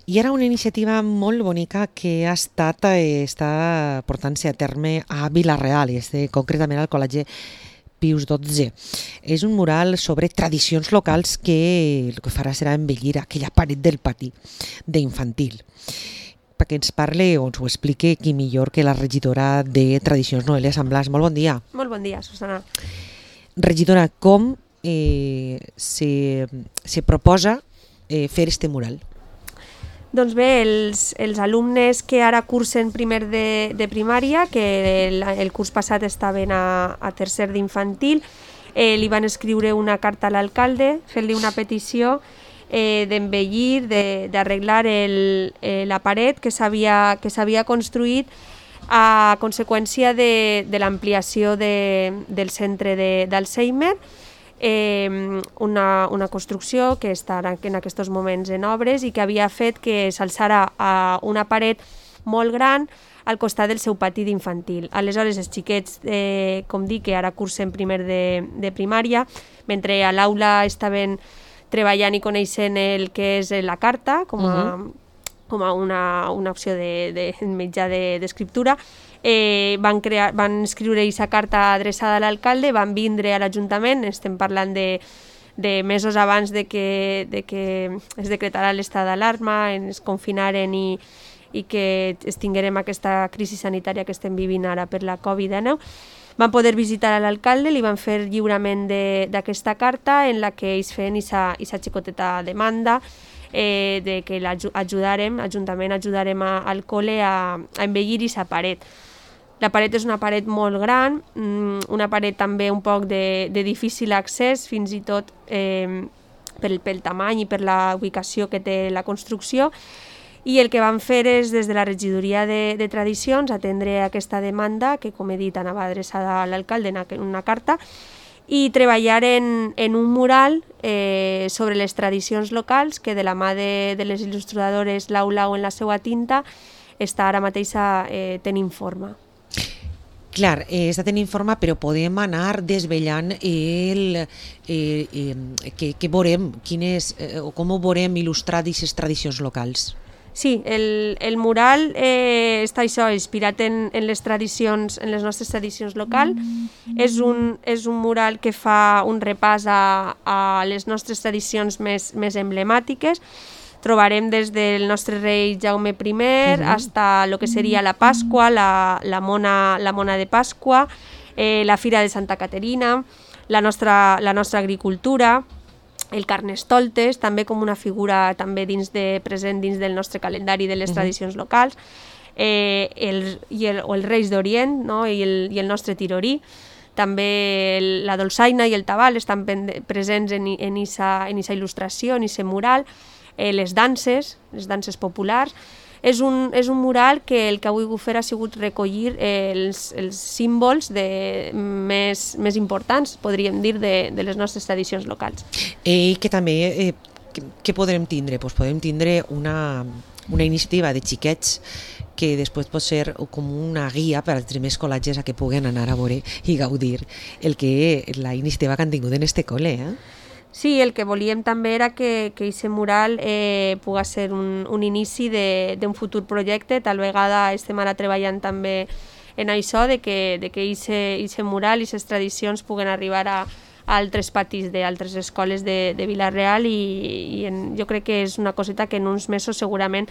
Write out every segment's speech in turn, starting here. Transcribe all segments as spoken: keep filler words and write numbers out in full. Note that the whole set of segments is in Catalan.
I era una iniciativa molt bonica que ha estat, eh, està portant-se a terme a Vila-real, i este, concretament al Col·legi Pius dotze. És un mural sobre tradicions locals que el que farà serà embellir aquella paret del pati d'infantil. Perquè ens parle o ens ho explique qui millor que la regidora de Tradicions, Noelia Sant Blas. Molt bon dia. Molt bon dia, Susana. Regidora, com eh, se, se proposa eh, fer este mural? Doncs bé, els, els alumnes que ara cursen primer de, de primària, que el, el curs passat estaven a, a tercer d'infantil, eh, li van escriure una carta a l'alcalde fent-li una petició eh, d'embellir, de, d'arreglar el, eh, la paret que s'havia que s'havia construït a conseqüència de, de l'ampliació de, del centre de, d'Alzheimer, Eh, una, una construcció que està en aquests moments en obres i que havia fet que s'alçara a una paret molt gran al costat del seu pati d'infantil. Aleshores, els xiquets, eh, com dic, que ara cursen primer de, de primària, mentre a l'aula estaven treballant i coneixent el que és la carta, com a, uh-huh. com a una, una opció de, de mitjà de, d'escriptura, Eh, van, crear, van escriure aquesta carta adreçada a l'alcalde, van vindre a l'Ajuntament, estem parlant de, de mesos abans de que, de que es decretarà l'estat d'alarma, es confinaren i, i que tinguérem aquesta crisi sanitària que estem vivint ara per la covid dinou. Van poder visitar a l'alcalde, li van fer lliurament de, d'aquesta carta en la que ells feien aquesta xicoteta demanda eh, de que l'ajudarem, l'Ajuntament ajudarem a, al col·le a, a embellir aquesta paret. La paret és una paret molt gran, una paret també un poc de, de difícil accés, fins i tot eh, pel, pel tamany i per la ubicació que té la construcció, i el que van fer és, des de la regidoria de, de Tradicions, atendre aquesta demanda, que com he dit anava adreçada a l'alcalde en una carta, i treballar en, en un mural eh, sobre les tradicions locals, que de la mà de, de les il·lustradores Lau Lau en la seva tinta està ara mateix eh, tenint forma. Clar, eh, està tenint forma, però podem anar desvetllant el, eh, eh, que, que veurem, quines, eh, o com ho veurem il·lustrat aquestes tradicions locals. Sí, el, el mural eh, està això, inspirat en, en les tradicions, en les nostres tradicions locals. Mm. És, un, és un mural que fa un repàs a, a les nostres tradicions més, més emblemàtiques. Trobarem des del nostre rei Jaume primer uh-huh. hasta lo que seria la Pasqua, la, la, mona, la mona de Pasqua, eh, la Fira de Santa Caterina, la nostra, la nostra agricultura, el Carnestoltes, també com una figura també dins de, present dins del nostre calendari de les uh-huh. tradicions locals, eh, el, i el, o els Reis d'Orient, no? I, el, i el nostre Tirorí. També el, la dolçaina i el tabal estan presents en aquesta en en il·lustració, en aquest mural. Eh, les danses, les danses populars. És un, és un mural que el que ha volgut fer ha sigut recollir eh, els, els símbols de, més, més importants, podríem dir, de, de les nostres tradicions locals. I que també, eh, què podrem tindre? Pues podem tindre una, una iniciativa de xiquets que després pot ser com una guia per als primers col·legis a que puguen anar a veure i gaudir el que la iniciativa que han tingut en este col·le, eh? Sí, el que volíem també era que aquest mural eh, pugui ser un, un inici d'un futur projecte. Tal vegada estem ara treballant també en això, de que aquest mural i aquestes tradicions puguen arribar a, a altres patis d'altres escoles de, de Vila-real, i, i en, jo crec que és una coseta que en uns mesos segurament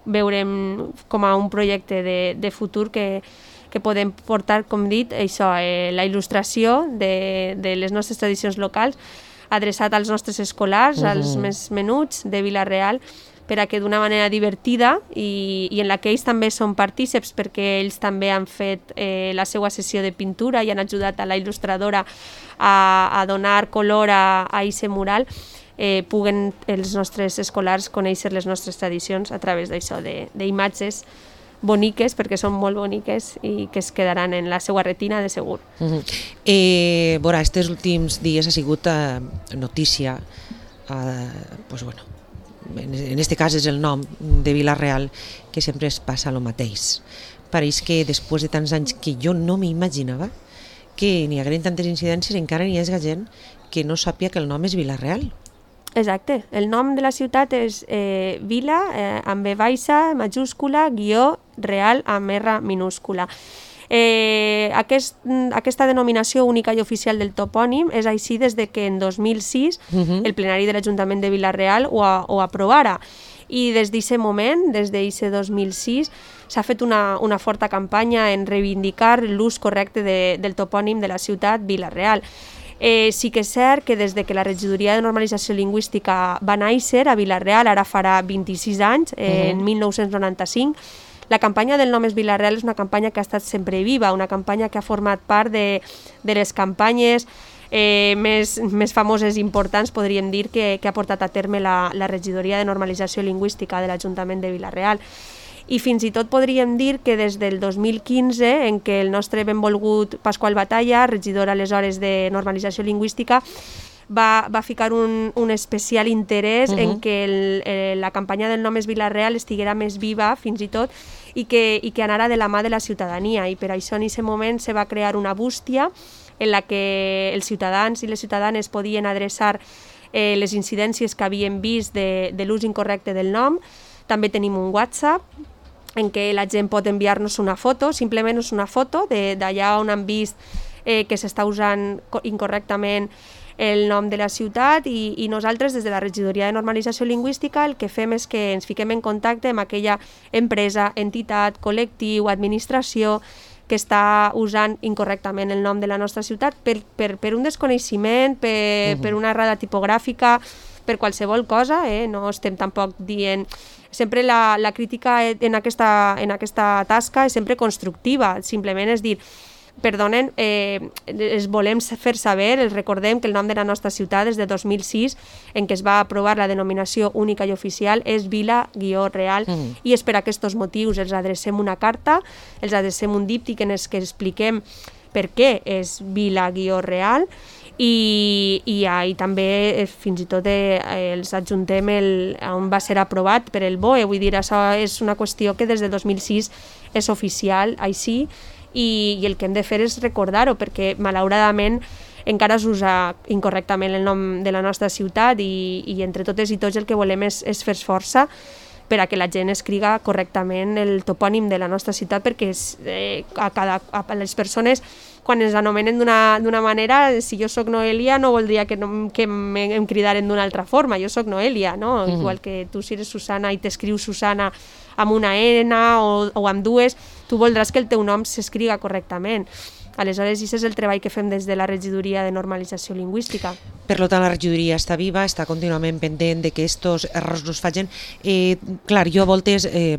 veurem com a un projecte de, de futur que, que podem portar, com dit, això, eh, la il·lustració de, de les nostres tradicions locals, adreçat als nostres escolars, uh-huh. als més menuts de Vila-real, per a que d'una manera divertida i, i en la que ells també són partíceps, perquè ells també han fet eh, la seva sessió de pintura i han ajudat a la il·lustradora a, a donar color a aquest mural, eh, puguen els nostres escolars conèixer les nostres tradicions a través d'això, d'imatges boniques, perquè són molt boniques i que es quedaran en la seva retina de segur. Uh-huh. Eh, Veurà, aquests últims dies ha sigut eh, notícia, eh, pues bueno, en este cas és el nom de Vila-real, que sempre es passa el mateix. Pareix que després de tants anys que jo no m'imaginava que n'hi hagueren tantes incidències, encara n'hi ha gent que no sàpia que el nom és Vila-real. Exacte, el nom de la ciutat és eh, Vila, eh, amb B baixa, majúscula, guió, real, amb R minúscula. Eh, aquest, aquesta denominació única i oficial del topònim és així des de que en dos mil sis uh-huh. el plenari de l'Ajuntament de Vila-real ho, ho aprovara. I des d'aquest moment, des d'aquest dos mil sis, s'ha fet una, una forta campanya en reivindicar l'ús correcte de, del topònim de la ciutat Vila-real. Eh, sí que és cert que des de que la Regidoria de Normalització Lingüística va néixer a Vila-real, ara farà vint-i-sis anys, eh, uh-huh. en mil nou-cents noranta-cinc, la campanya del nom és Vila-real és una campanya que ha estat sempre viva, una campanya que ha format part de, de les campanyes eh, més, més famoses i importants, podríem dir, que, que ha portat a terme la, la Regidoria de Normalització Lingüística de l'Ajuntament de Vila-real. I fins i tot podríem dir que des del dos mil quinze, en què el nostre benvolgut Pasqual Batalla, regidor aleshores de Normalització Lingüística, va, va ficar un, un especial interès uh-huh. en que el, eh, la campanya del nom és Vila-real estiguera més viva, fins i tot, i que, i que anara de la mà de la ciutadania. I per això en aquest moment se va crear una bústia en la que els ciutadans i les ciutadanes podien adreçar eh, les incidències que havien vist de, de l'ús incorrecte del nom. També tenim un WhatsApp en què la gent pot enviar-nos una foto, simplement és una foto d'allà on han vist eh, que s'està usant incorrectament el nom de la ciutat i, i nosaltres des de la Regidoria de Normalització Lingüística el que fem és que ens fiquem en contacte amb aquella empresa, entitat, col·lectiu, administració que està usant incorrectament el nom de la nostra ciutat per, per, per un desconeixement, per, uh-huh. per una errada tipogràfica, per qualsevol cosa, eh? No estem tampoc dient... Sempre la, la crítica en aquesta, en aquesta tasca és sempre constructiva, simplement és dir, perdonen, eh, es volem fer saber, els recordem que el nom de la nostra ciutat des de dos mil sis, en què es va aprovar la denominació única i oficial, és Vila-real, mm. i és per aquests motius els adrecem una carta, els adrecem un díptic en els que expliquem per què és Vila-real, i, i, i també fins i tot eh, els adjuntem el, on va ser aprovat per el B O E, vull dir, això és una qüestió que des de dos mil sis és oficial, així, i, i el que hem de fer és recordar-ho, perquè malauradament encara s'usa incorrectament el nom de la nostra ciutat i, i entre totes i tots el que volem és, és fer força per a que la gent escriga correctament el topònim de la nostra ciutat, perquè eh, a, cada, a les persones quan ens anomenen d'una manera, si jo sóc Noelia no voldria que, no, que em cridaren d'una altra forma, jo sóc Noelia, no? Mm-hmm. Igual que tu si eres Susana i t'escrius Susana amb una N o, o amb dues, tu voldràs que el teu nom s'escriga correctament. Aleshores, aquest és el treball que fem des de la Regidoria de Normalització Lingüística. Per tant, la regidoria està viva, està contínuament pendent de que aquests errors no es facin. Eh, clar, jo a voltes eh,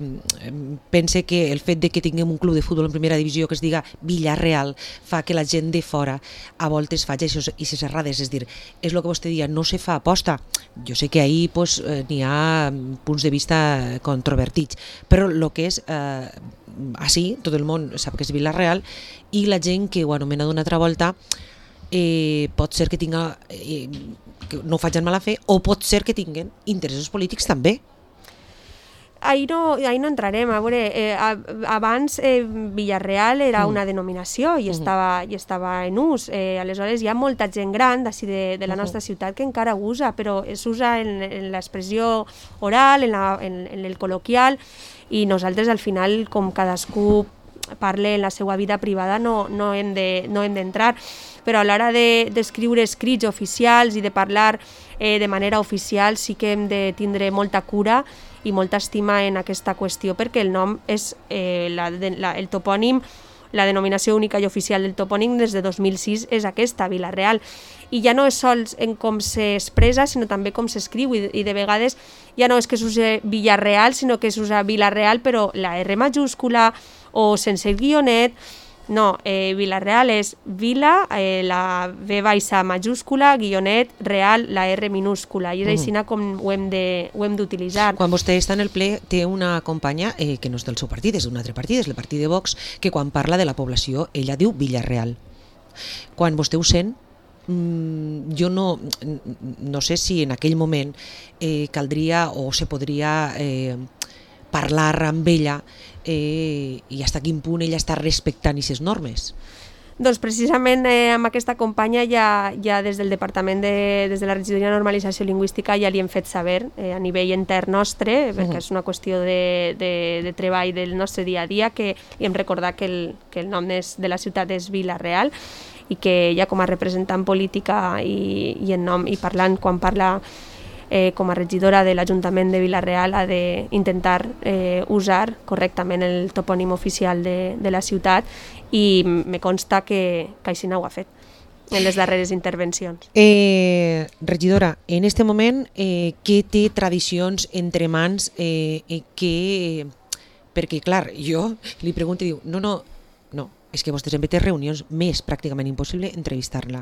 pense que el fet de que tinguem un club de futbol en primera divisió que es diga Vila-real fa que la gent de fora a voltes faci aquestes errades. És dir, és el que vostè dia, no se fa aposta. Jo sé que ahir pues, eh, n'hi ha punts de vista controvertits, però el que és... Eh, així, tot el món sap que és Vila-real i la gent que ho anomena d'una altra volta eh, pot ser que tinga eh, que no ho facin mala fe o pot ser que tinguen interessos polítics també. Ahí no, ahí no entrarem. A veure, eh, abans eh, Vila-real era una denominació i estava, i estava en ús. Eh, aleshores hi ha molta gent gran d'ací de, de la nostra ciutat que encara usa, però s'usa en, en l'expressió oral, en, la, en, en el col·loquial, i nosaltres al final, com cadascú parla en la seva vida privada, no, no hem de, no hem d'entrar, però a l'hora d'escriure de, escrits oficials i de parlar eh, de manera oficial sí que hem de tindre molta cura i molta estima en aquesta qüestió, perquè el nom és eh, la, la, el topònim, la denominació única i oficial del topònim des de dos mil sis és aquesta, Vila-real. I ja no és sols en com s'expressa, sinó també com s'escriu, i, i de vegades ja no és que s'usa Vila-real, sinó que s'usa Vila-real, però la R majúscula o sense el guionet. No, eh, Vila-real és Vila, eh, la V baixa majúscula, guionet, real, la R minúscula, i és així mm. com ho hem d'utilitzar. Quan vostè està en el ple té una companya eh, que no és del seu partit, és d'un altre partit, és el partit de Vox, que quan parla de la població ella diu Vila-real. Quan vostè ho sent, mm, jo no, no sé si en aquell moment eh, caldria o se podria eh, parlar amb ella eh, i fins a quin punt ella està respectant aquestes normes. Doncs precisament eh, amb aquesta companya ja, ja des del Departament de, des de la Regidoria de Normalització Lingüística ja li hem fet saber eh, a nivell intern nostre, perquè uh-huh. és una qüestió de, de, de treball del nostre dia a dia, que li hem recordat que el, que el nom és, de la ciutat és Vila-real i que ja com a representant política i, i en nom i parlant quan parla Eh, com a regidora de l'Ajuntament de Vila-real ha d'intentar eh, usar correctament el topònim oficial de, de la ciutat i me consta que, que així no ho ha fet en les darreres intervencions. Eh, regidora, en este moment, eh, què té tradicions entre mans? Eh, eh, que, perquè, clar, jo li pregunto i diu, no, no, no, és que vostè sempre té reunions, més pràcticament impossible entrevistar-la.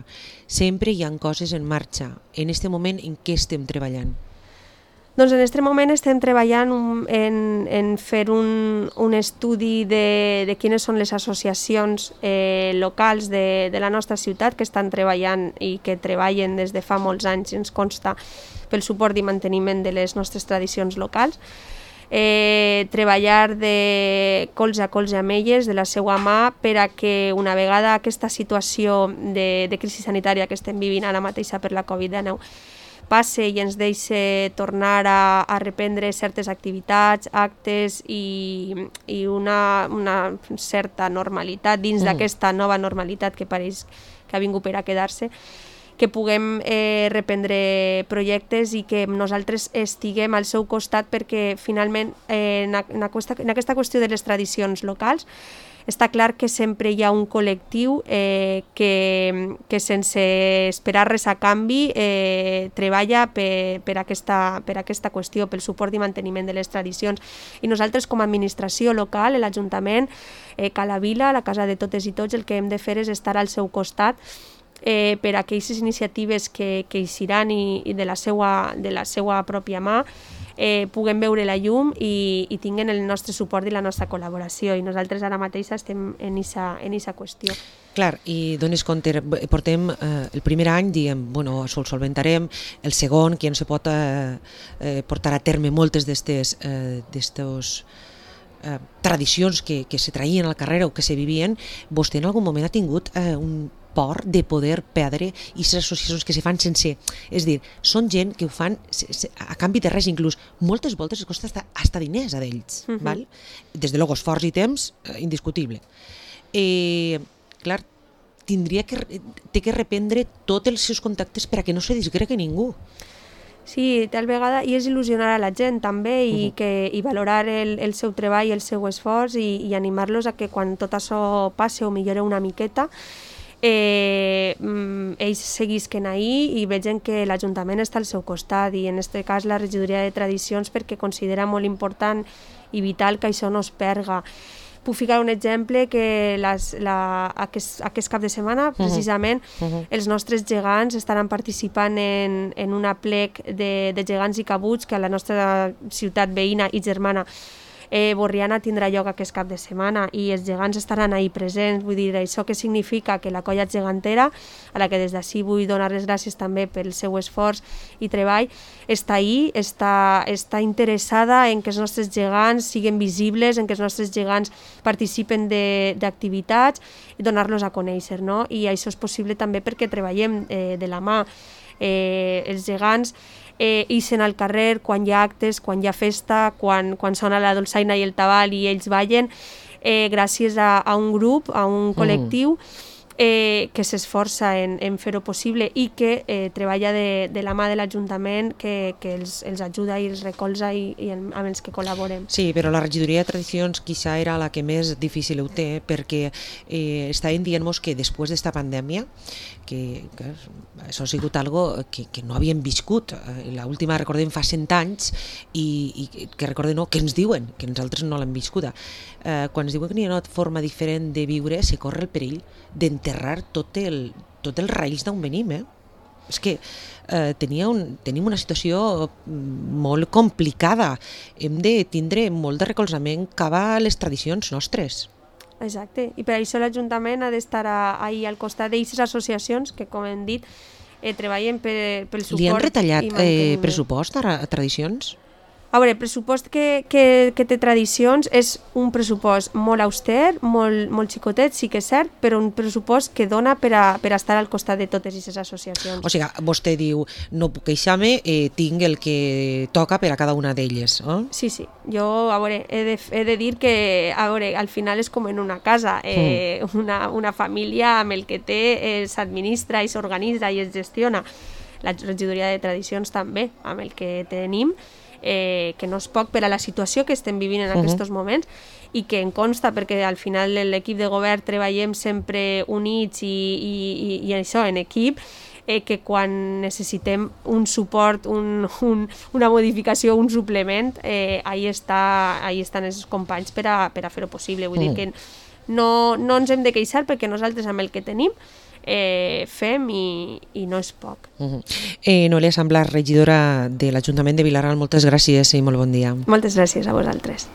Sempre hi ha coses en marxa. En aquest moment, en què estem treballant? Doncs en aquest moment estem treballant en, en fer un, un estudi de, de quines són les associacions eh, locals de, de la nostra ciutat que estan treballant i que treballen des de fa molts anys, ens consta, pel suport i manteniment de les nostres tradicions locals. Eh, treballar de colze a colze amb elles, de la seva mà, per a que una vegada aquesta situació de, de crisi sanitària que estem vivint ara mateixa per la covid dinou passe i ens deixi tornar a, a reprendre certes activitats, actes i, i una, una certa normalitat dins mm. d'aquesta nova normalitat que pareix que ha vingut per a quedar-se, que puguem eh, reprendre projectes i que nosaltres estiguem al seu costat perquè finalment eh, en, en, aquesta, en aquesta qüestió de les tradicions locals està clar que sempre hi ha un col·lectiu eh, que, que sense esperar res a canvi eh, treballa per, per, aquesta, per aquesta qüestió, pel suport i manteniment de les tradicions. I nosaltres com a administració local, l'Ajuntament, eh, Cala Vila, la casa de totes i tots, el que hem de fer és estar al seu costat Eh, per a aquestes iniciatives que, que eixiran i, i de, la seua, de la seua pròpia mà eh, puguem veure la llum i, i tinguin el nostre suport i la nostra col·laboració, i nosaltres ara mateix estem en esa, en esa qüestió. Clar, i dones compte, portem eh, el primer any, diem, bueno, sol solventarem, el segon, que ja no se pot eh, eh, portar a terme moltes d'estes eh, d'estos eh, tradicions que, que se traïen al carrer o que se vivien. Vostè en algun moment ha tingut eh, un por de poder perdre aquestes associacions que se fan sense... És dir, són gent que ho fan a canvi de res, inclús moltes voltes es costa hasta, hasta diners a d'ells. Uh-huh. Val? Des de luego esforç i temps, eh, indiscutible. Eh, clar, tindria que, té que reprendre tots els seus contactes per a que no se disgregui ningú. Sí, tal vegada, i és il·lusionar a la gent també i, uh-huh. que, i valorar el, el seu treball, el seu esforç i, i animar-los a que quan tot això passe o millore una miqueta, Eh, ells seguisquen ahir i vegen que l'Ajuntament està al seu costat, i en aquest cas la Regidoria de Tradicions, perquè considera molt important i vital que això no es perga. Puc ficar un exemple, que les, la, aquest, aquest cap de setmana precisament uh-huh. Uh-huh. els nostres gegants estaran participant en, en una plec de, de gegants i cabuts que a la nostra ciutat veïna i germana Eh, Borriana tindrà lloc aquest cap de setmana i els gegants estaran ahí presents. Vull dir, això que significa que la colla gegantera, a la que des d'ací vull donar les gràcies també pel seu esforç i treball, està ahí, està, està interessada en que els nostres gegants siguin visibles, en que els nostres gegants participen d'activitats i donar-los a conèixer, no? I això és possible també perquè treballem eh, de la mà. Eh, els gegants eh, ixen al carrer quan hi ha actes, quan hi ha festa, quan, quan sona la dolçaina i el tabal i ells ballen, eh, gràcies a, a un grup, a un col·lectiu eh, que s'esforça en, en fer-ho possible i que eh, treballa de, de la mà de l'Ajuntament, que, que els, els ajuda i els recolza i, i el, amb els que col·laborem. Sí, però la Regidoria de Tradicions quizá era la que més difícil ho té, perquè eh, estaven dient-nos que després d'esta pandèmia, que, que això ha sigut algo que, que no havíem viscut. Eh, l'última, recordem, fa cent anys, i, i que recordem, no, que ens diuen, que nosaltres no l'hem viscuda. Eh, quan ens diuen que hi ha una forma diferent de viure, se corre el perill d'enterrar tot el, tot els raïls d'on venim, eh? És que eh, tenia un, tenim una situació molt complicada. Hem de tindre molt de recolzament cap a les tradicions nostres. Exacte, i per això l'Ajuntament ha d'estar ahí al costat d'aquestes associacions que, com hem dit, eh, treballen per, pel suport. Li han retallat eh, pressupost a, a Tradicions? A veure, el pressupost que, que, que té Tradicions és un pressupost molt auster, molt, molt xicotet, sí que és cert, però un pressupost que dona per a, per a estar al costat de totes aquestes associacions. O sigui, vostè diu, no puc queixar-me, eh, tinc el que toca per a cada una d'elles. Eh? Sí, sí. Jo, a veure, he de, he de dir que, a veure, al final és com en una casa. Eh, mm. una, una família amb el que té eh, s'administra i s'organitza i es gestiona. La regidoria de Tradicions també, amb el que tenim, Eh, que no és poc per a la situació que estem vivint en uh -huh. aquests moments i que em consta perquè al final l'equip de govern treballem sempre units i, i, i, i això, en equip, eh, que quan necessitem un suport, un, un, una modificació, un suplement, eh, ahí, està, ahí estan els companys per a, per a fer-ho possible. Vull uh -huh. dir que no, no ens hem de queixar perquè nosaltres amb el que tenim Eh, fem i, i no és poc. Uh -huh. eh, Noelia Samblas, regidora de l'Ajuntament de Vila-real, moltes gràcies i molt bon dia. Moltes gràcies a vosaltres.